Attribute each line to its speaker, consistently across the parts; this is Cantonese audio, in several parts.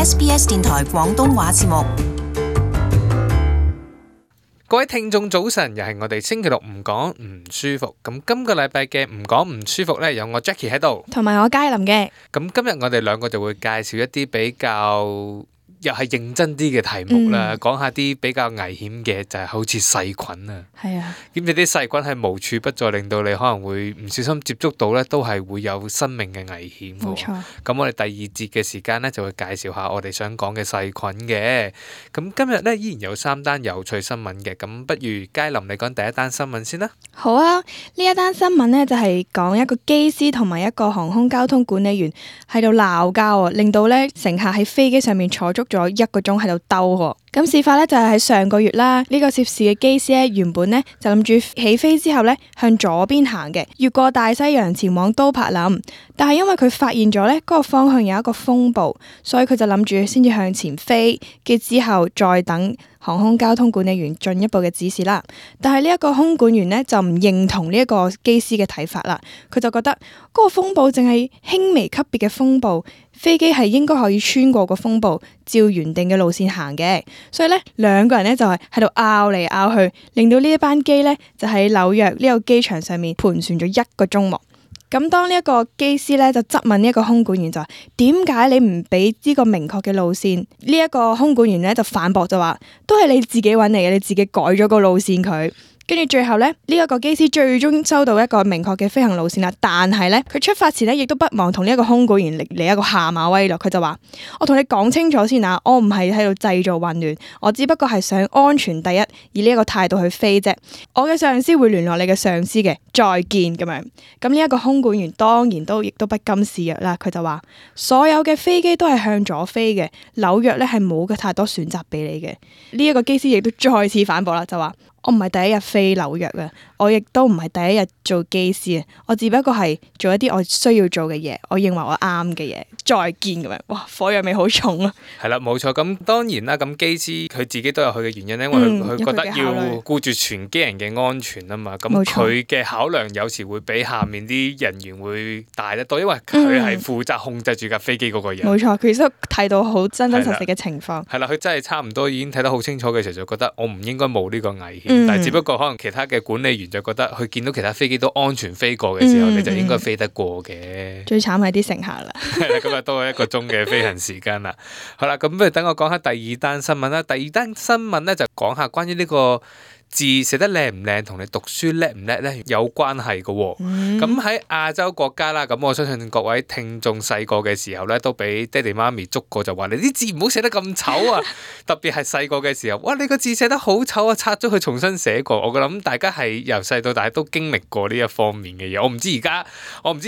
Speaker 1: SBS 電台廣東話節目。
Speaker 2: 各位聽眾早晨，又係我哋星期六唔講唔舒服。咁今個禮拜嘅唔講唔舒服呢，有我 Jackie 喺度，
Speaker 3: 同埋我佳琳嘅。
Speaker 2: 咁今日我哋兩個就會介紹一啲比較又係認真啲嘅題目啦，講下啲比較危險嘅，就係好似細菌啊。
Speaker 3: 係啊，
Speaker 2: 咁你啲細菌係無處不在，令到你可能會唔小心接觸到呢，都係會有生命嘅危險。
Speaker 3: 冇錯。
Speaker 2: 咁我哋第二節嘅時間呢，就會介紹下我哋想講嘅細菌嘅。咁今日呢，依然有3單有趣新聞嘅。咁不如佳琳你講第一單新聞先啦。
Speaker 3: 好啊，呢一單新聞呢，就係講一個機師同埋一個航空交通管理員喺度鬧交啊，令到呢乘客喺飛機上面坐足咗1個鐘喺度兜喎。咁事發呢，就係喺上個月啦，呢個涉事嘅機師呢，原本呢就諗住起飛之後呢向左邊行嘅，越過大西洋前往都柏林，但係因為佢發現咗呢嗰個方向有一個風暴，所以佢就諗住先至向前飛，嘅之後再等航空交通管理員進一步嘅指示啦。但係呢一個空管員呢，就唔認同呢一個機師嘅睇法啦，佢就覺得嗰個風暴淨係輕微級別嘅風暴，飛機係應該可以穿過個風暴，照原定嘅路線行嘅。所以呢，兩個人呢就係喺度拗嚟拗去，令到呢一班機呢就喺紐約呢個機場上面盤旋咗1個鐘喎。咁當呢一個機師呢就質問呢一個空管員就話：點解你唔俾呢個明確嘅路線？呢一個空管員呢就反駁就話：都係你自己揾嚟嘅，你自己改咗個路線佢。跟住最後呢，呢一個機師最終收到一個明確嘅飛行路線啦。但係呢，佢出發前呢亦都不忘同呢一個空管員嚟一個下馬威咯。佢就話：我同你講清楚先啊，我唔係喺度製造混亂，我只不過係想安全第一，以呢一個態度去飛啫。我嘅上司會聯絡你嘅上司嘅，再見咁樣。咁呢一個空管員當然亦都不甘示弱啦。佢就話：所有嘅飛機都係向左飛嘅，紐約呢係冇嘅太多選擇俾你嘅。呢一個機師亦都再次反駁啦，就話：我唔係第一日飛紐約啊，我亦都唔係第一日做機師啊，我只不過係做一啲我需要做嘅嘢，我認為我啱嘅嘢。再見咁樣，哇，火藥味好重啊！
Speaker 2: 係啦，冇錯。咁當然啦，咁機師佢自己都有佢嘅原因，因為佢覺得要顧住全機人嘅安全啊嘛。咁佢嘅考量有時會比下面啲人員會大得多，因為佢係負責控制住架飛機嗰個人。
Speaker 3: 冇錯，佢都睇到好真真實實嘅情況。
Speaker 2: 係啦，佢真係差唔多已經睇得好清楚嘅時候，就覺得我唔應該冒呢個危險。但係只不過可能其他嘅管理員就覺得佢見到其他飛機都安全飛過嘅時候，你就應該飛得過嘅。最
Speaker 3: 慘係啲乘客啦。
Speaker 2: 係啦，今日多1個鐘嘅飛行時間啦。好啦，咁不如等我講下第二單新聞啦。第二單新聞咧就講下關於呢個字寫得靚唔靚同你讀書叻唔叻咧有關係嘅喎。咁喺亞洲國家啦，咁我相信各位聽眾細個嘅時候咧，都俾爹哋媽咪捉過，就話你啲字唔好寫得咁醜啊！特別係細個嘅時候，哇！你個字寫得好醜啊，拆咗佢重新寫過。我諗大家係由細到大都經歷過呢一方面嘅嘢。我唔知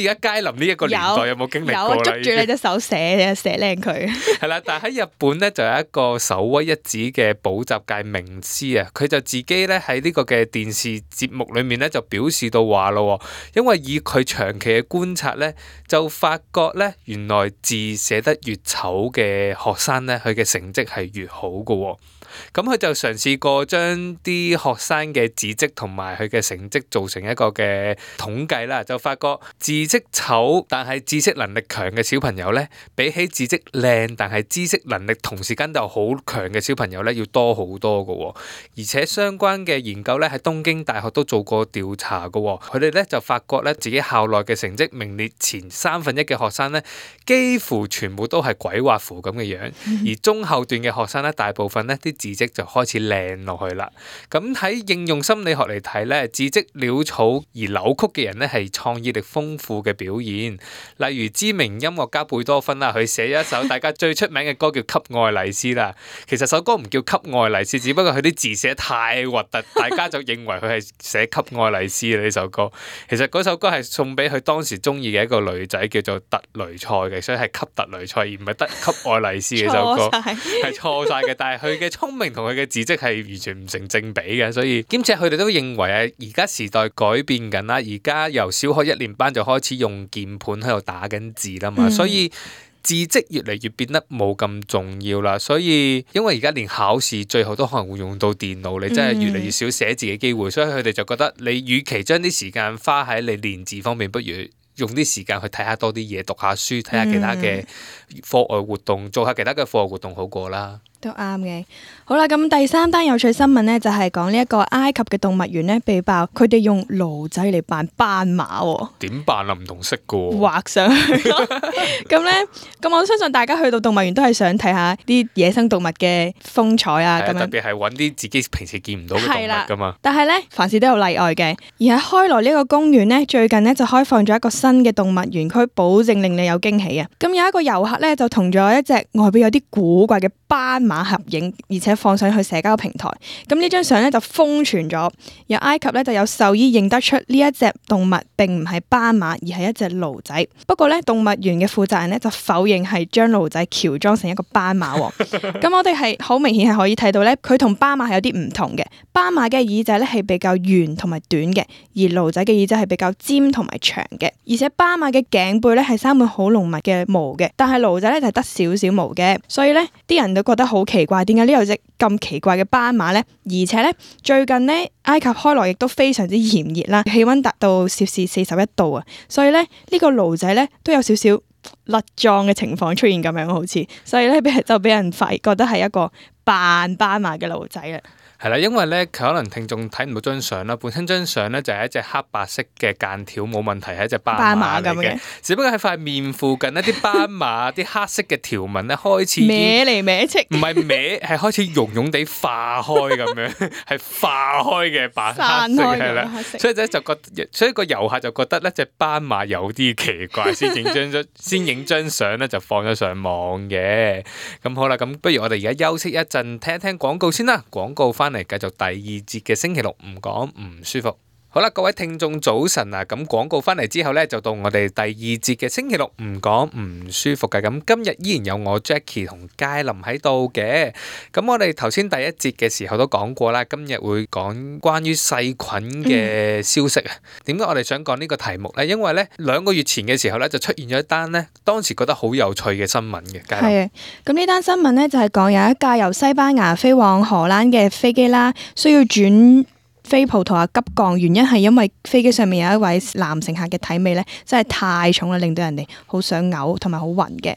Speaker 2: 而家佳琳呢一個年代有冇經歷過啦？
Speaker 3: 捉住你隻手寫靚佢。
Speaker 2: 係啦，但係喺日本咧就有一個首屈一指嘅補習界名師啊，佢就自己咧喺呢個嘅電視節目裏面咧就表示到話咯，因為以佢長期嘅觀察咧，就發覺咧原來字寫得越醜嘅學生咧，佢嘅成績係越好㗎。咁佢就嘗試過將啲學生嘅字跡同埋佢嘅成績做成一個嘅統計啦，就發覺字跡醜但係知識能力強嘅小朋友咧，比起字跡靚但係知識能力同時間就好強嘅小朋友咧，要多好多㗎。而且相關嘅研究咧喺東京大學都做過調查㗎，佢哋咧就發覺咧自己校內嘅成績名列前1/3嘅學生咧，幾乎全部都係鬼畫符咁嘅樣，而中後段嘅學生咧，大部分咧啲字跡就開始靚落去啦。咁喺應用心理學嚟睇咧，字跡潦草而扭曲嘅人咧係創意力豐富嘅表現。例如知名音樂家貝多芬啦，佢寫咗一首大家最出名嘅歌叫《給愛麗絲》啦。其實首歌唔叫《給愛麗絲》，只不過佢啲字寫得太核突，大家就認為佢係寫《給愛麗絲》呢首歌。其實嗰首歌係送俾佢當時中意嘅一個女仔叫做特雷塞嘅，所以係給特雷塞而唔係得給愛麗絲嘅首歌，係錯晒嘅。但係佢嘅聰明同佢嘅字跡係完全唔成正比嘅，所以兼且佢哋都認為啊，而家時代改變緊啦，而家由小學1年班就開始用鍵盤喺度打緊字啦嘛，所以字跡越嚟越變得冇咁重要啦。所以因為而家連考試最後都可能會用到電腦，你真係越嚟越少寫字嘅機會，所以佢哋就覺得你與其將啲時間花喺你練字方面，不如用啲時間去睇下多啲嘢，讀下書，睇下其他嘅課外活動，做下其他嘅課外活動好過啦。
Speaker 3: 都啱嘅。好啦，咁第三單有趣新聞呢，就係講呢一個埃及嘅動物園呢，被爆佢哋用驢仔嚟扮斑馬喎。
Speaker 2: 點扮啊？唔同色噶喎。
Speaker 3: 畫上去咯。咁呢，咁我相信大家去到動物園都係想睇下啲野生動物嘅風采啊。咁樣
Speaker 2: 特別係揾啲自己平時見唔到嘅動物噶嘛。
Speaker 3: 但係呢，凡事都有例外嘅。而喺開羅呢個公園呢，最近呢就開放咗一個新嘅動物園區，保證令你有驚喜啊！咁有一個遊客呢，就同咗一隻外表有啲古怪嘅斑馬合影，而且放上去社交平台。咁呢張相呢，就瘋傳咗，有埃及呢，就有獸醫認得出呢一隻動物並唔係斑馬，而係一隻驢仔。不過呢，動物園嘅負責人呢，就否認係將驢仔喬裝成一個斑馬。咁我哋係好明顯係可以睇到呢，佢同斑馬係有啲唔同嘅。斑馬嘅耳仔呢，係比較圓同埋短嘅，而驢仔嘅耳仔係比較尖同埋長嘅。而且斑馬嘅頸背呢，係生滿好濃密嘅毛嘅，但係驢仔呢，就係得少少毛嘅。所以呢啲人都覺得好奇怪，點解呢有隻咁奇怪嘅斑馬呢？而且呢，最近呢，埃及開羅亦都非常之炎熱啦，氣溫達到攝氏41度啊，所以呢，呢個驢仔呢，都有少少甩妝嘅情況出現咁樣，好似，所以呢，就俾人覺得係一個扮斑馬嘅驢仔啦。
Speaker 2: 係啦，因為咧可能聽眾睇唔到張相啦，本身張相咧就係一隻黑白色嘅間條冇問題，係一隻斑馬嚟嘅，只不過喺塊面附近一啲斑馬啲黑色嘅條紋咧開始
Speaker 3: 歪嚟歪戚，
Speaker 2: 唔係歪，係開始溶溶地化開咁樣，係化開嘅白黑色係啦，所以咧所以個遊客就覺得咧隻斑馬有啲奇怪，先影張相咧就放咗上網嘅。咁好啦，咁不如我哋而家休息一陣，聽一聽廣告先啦，廣告翻嚟繼續第二節嘅星期六唔講唔舒服。好啦，各位聽眾早晨啊！咁廣告翻嚟之後呢，就到我哋第二節嘅星期六唔講唔舒服嘅。咁今日依然有我 Jackie 同佳琳喺度嘅。咁我哋頭先第一節嘅時候都講過啦，今日會講關於細菌嘅消息啊。點解我哋想講呢個題目呢？因為呢2個月前嘅時候呢，就出現咗一單呢，當時覺得好有趣嘅新聞嘅。佳琳，
Speaker 3: 係啊，咁呢單新聞呢，就係講有一架由西班牙飛往荷蘭嘅飛機啦，需要轉飛葡萄牙急降，原因係因為飛機上面有一位男乘客嘅體味咧，真係太重啦，令到人哋好想嘔同埋好暈嘅。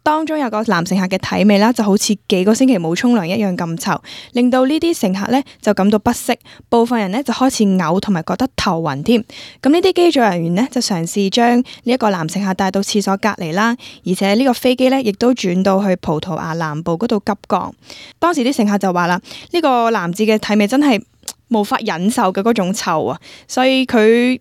Speaker 3: 當中有個男乘客嘅體味啦，就好似幾個星期冇沖涼一樣咁臭，令到呢啲乘客咧就感到不適，部分人咧就開始嘔同埋覺得頭暈添。咁呢啲機組人員咧就嘗試將呢一個男乘客帶到廁所隔離啦，而且呢個飛機咧亦都轉到去葡萄牙南部嗰度急降。當時啲乘客就話啦，呢個男子嘅體味真係無法忍受嘅嗰種臭啊，所以佢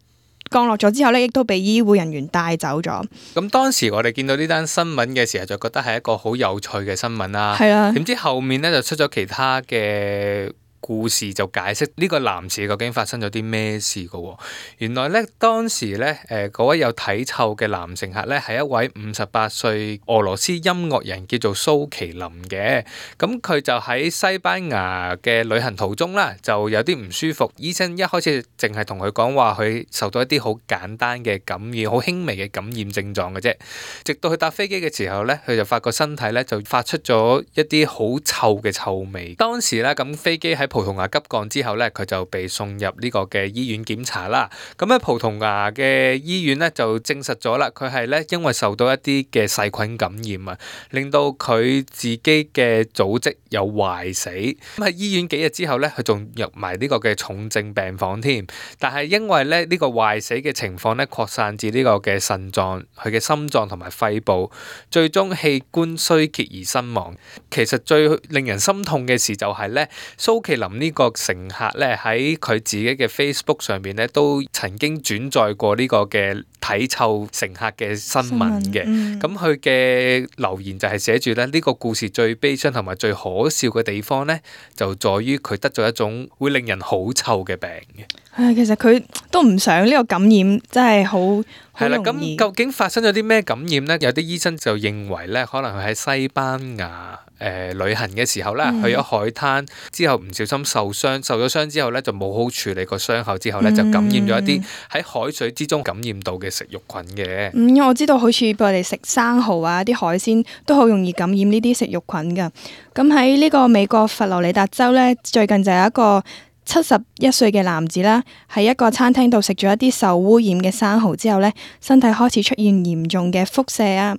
Speaker 3: 降落咗之後呢，亦都被醫護人員帶走咗。
Speaker 2: 咁當時我哋見到呢單新聞嘅時候，就覺得係一個好有趣嘅新聞啦。
Speaker 3: 係啊，
Speaker 2: 點知後面呢，就出咗其他嘅故事，就解釋呢個男士究竟發生咗啲咩事㗎喎。原來咧當時咧嗰位有體臭嘅男乘客咧係一位58歲俄羅斯音樂人，叫做蘇麒麟嘅。咁佢就喺西班牙嘅旅行途中啦，就有啲唔舒服。醫生一開始淨係同佢講話，佢受到一啲好簡單嘅感染，好輕微嘅感染症狀嘅啫。直到佢搭飛機嘅時候咧，佢就發覺身體咧就發出咗一啲好臭嘅臭味。當時咧咁飛機喺葡萄牙急降之後咧，佢就被送入呢個嘅醫院檢查啦。咁喺葡萄牙嘅醫院咧就證實咗啦，佢係咧因為受到一啲嘅細菌感染啊，令到佢自己嘅組織有壞死。咁喺醫院幾日之後咧，佢仲入埋呢個嘅重症病房添。但係因為咧呢個壞死嘅情況咧擴散至呢個嘅腎臟、佢嘅心臟同埋肺部，最終器官衰竭而身亡。其實最令人心痛嘅事就係咧，蘇麒麟呢個乘客咧喺佢自己嘅 Facebook 上邊咧都曾經轉載過呢個嘅體臭乘客嘅新聞嘅。咁佢嘅留言就係寫住咧，呢個故事最悲傷同埋最可笑嘅地方咧，就在於佢得咗一種會令人好臭嘅病嘅。
Speaker 3: 其實佢都唔想呢個感染，真係好
Speaker 2: 係啦。咁究竟發生咗啲咩感染咧？有啲醫生就認為咧，可能佢喺西班牙旅行嘅時候咧，去咗海灘之後唔小心受咗傷之後咧，就冇好處理個傷口之後咧，就感染咗一啲喺海水之中感染到嘅食肉菌嘅。
Speaker 3: 我知道好似我哋食生蠔啊，啲海鮮都好容易感染呢啲食肉菌噶。咁喺呢個美國佛羅里達州咧，最近就有一個71歲嘅男子啦，喺一個餐廳度食咗一啲受污染嘅生蠔之後呢，身體開始出現嚴重嘅腹瀉啊，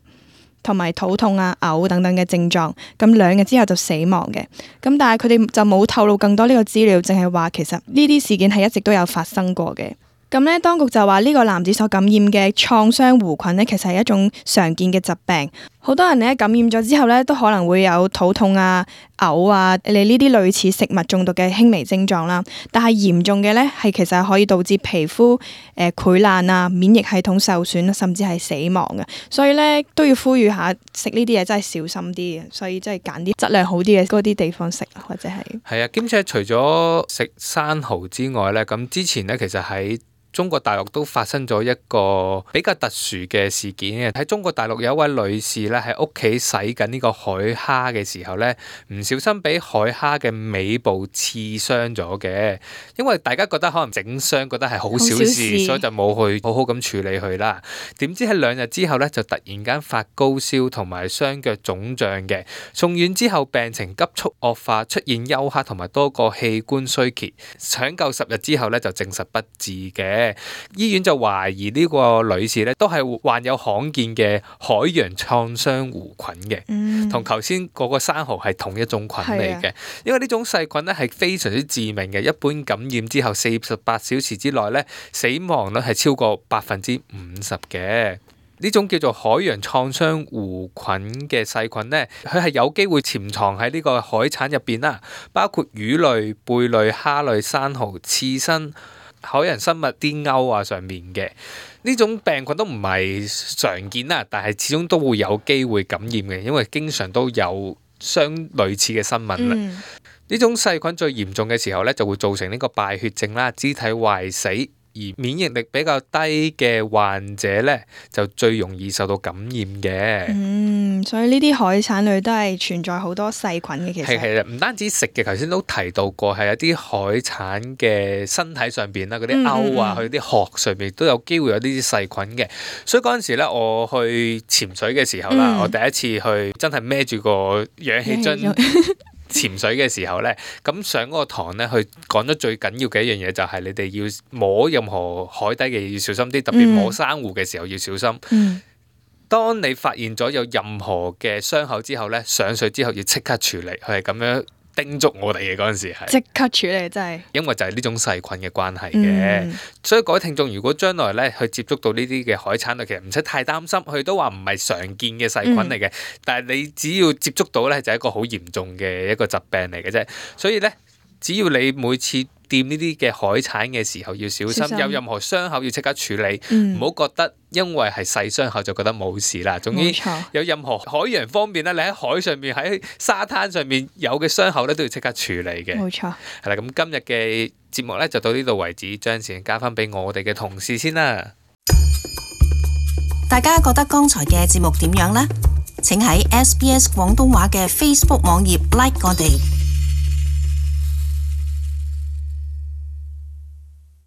Speaker 3: 同埋肚痛啊、嘔等等嘅症狀。咁2日之後就死亡嘅。咁但係佢哋就冇透露更多呢個資料，淨係話其實呢啲事件係一直都有發生過嘅。咁呢，當局就話呢個男子所感染嘅創傷弧菌呢，其實係一種常見嘅疾病。好多人呢感染咗之後呢，都可能會有肚痛啊、嘔啊，你呢啲類似食物中毒嘅輕微症狀啦。但係嚴重嘅呢，係其實係可以導致皮膚潰爛啊、免疫系統受損，甚至係死亡嘅。所以呢，都要呼籲下食呢啲嘢真係小心啲嘅。所以真係揀啲質量好啲嘅嗰啲地方食，或者係
Speaker 2: 啊，兼且除咗食生蠔之外呢，咁之前呢，其實喺中國大陸都發生咗一個比較特殊嘅事件嘅。喺中國大陸有一位女士咧，喺屋企洗緊呢個海蝦嘅時候咧，唔小心俾海蝦嘅尾部刺傷咗嘅。因為大家覺得可能整傷覺得係好小事，所以就冇去好好咁處理佢啦。點知喺2日之後咧，就突然間發高燒同埋雙腳腫脹嘅，送院之後病情急速惡化，出現休克同埋多個器官衰竭，搶救10日之後咧就證實不治嘅。醫院就懷疑呢個女士咧都係患有罕見嘅海洋創傷弧菌嘅，同頭先嗰個生蠔係同一種菌嚟嘅。因為呢種細菌咧係非常之致命嘅，一般感染之後48小時之內咧死亡率係超過50%嘅。呢種叫做海洋創傷弧菌嘅細菌呢，佢係有機會潛藏喺呢個海產入邊啦，包括魚類、貝類、蝦類、生蠔、刺身、海洋生物啲鈎啊上面嘅。呢種病菌都唔係常見啦，但係始終都會有機會感染嘅，因為經常都有相類似嘅新聞啦。呢種細菌最嚴重嘅時候呢，就會造成呢個敗血症啦、肢體壞死。而免疫力比較低嘅患者呢，就最容易受到感染嘅。
Speaker 3: 所以呢啲海產類都係存在好多細菌嘅。其實
Speaker 2: 係唔單止食嘅，頭先都提到過，係有啲海產嘅身體上邊啦，嗰啲鈎啊，佢啲殼上邊都有機會有呢啲細菌嘅。所以嗰陣時咧，我去潛水嘅時候啦，我第一次去真係孭住個氧氣樽潛水嘅時候呢，咁上嗰個堂呢，佢講咗最緊要嘅一樣嘢就係你哋要摸任何海底嘅嘢要小心啲，特別摸珊瑚嘅時候要小心。當你發現咗有任何嘅傷口之後呢，上水之後要即刻處理，佢係咁樣叮囑我哋嘅。嗰陣時係即
Speaker 3: 刻處理，真係
Speaker 2: 因為就係呢種細菌嘅關係嘅。所以各位聽眾，如果將來咧去接觸到呢啲嘅海產類，其實唔使太擔心，佢都話唔係常見嘅細菌嚟嘅。但係你只要接觸到咧，就係一個好嚴重嘅一個疾病嚟嘅啫。所以咧，只要你每次掂呢啲嘅海產嘅時候要小心，有任何傷口要即刻處理，唔好覺得因為係細傷口就覺得冇事啦。總之有任何海洋方面咧，你喺海上面喺沙灘上面有嘅傷口咧，都要即刻處理嘅。
Speaker 3: 冇錯。
Speaker 2: 係啦，咁今日嘅節目咧就到呢度為止，將時間交翻俾我哋嘅同事先啦。
Speaker 1: 大家覺得剛才嘅節目點樣呢？請喺SBS 廣東話嘅 Facebook 網頁 like 我哋。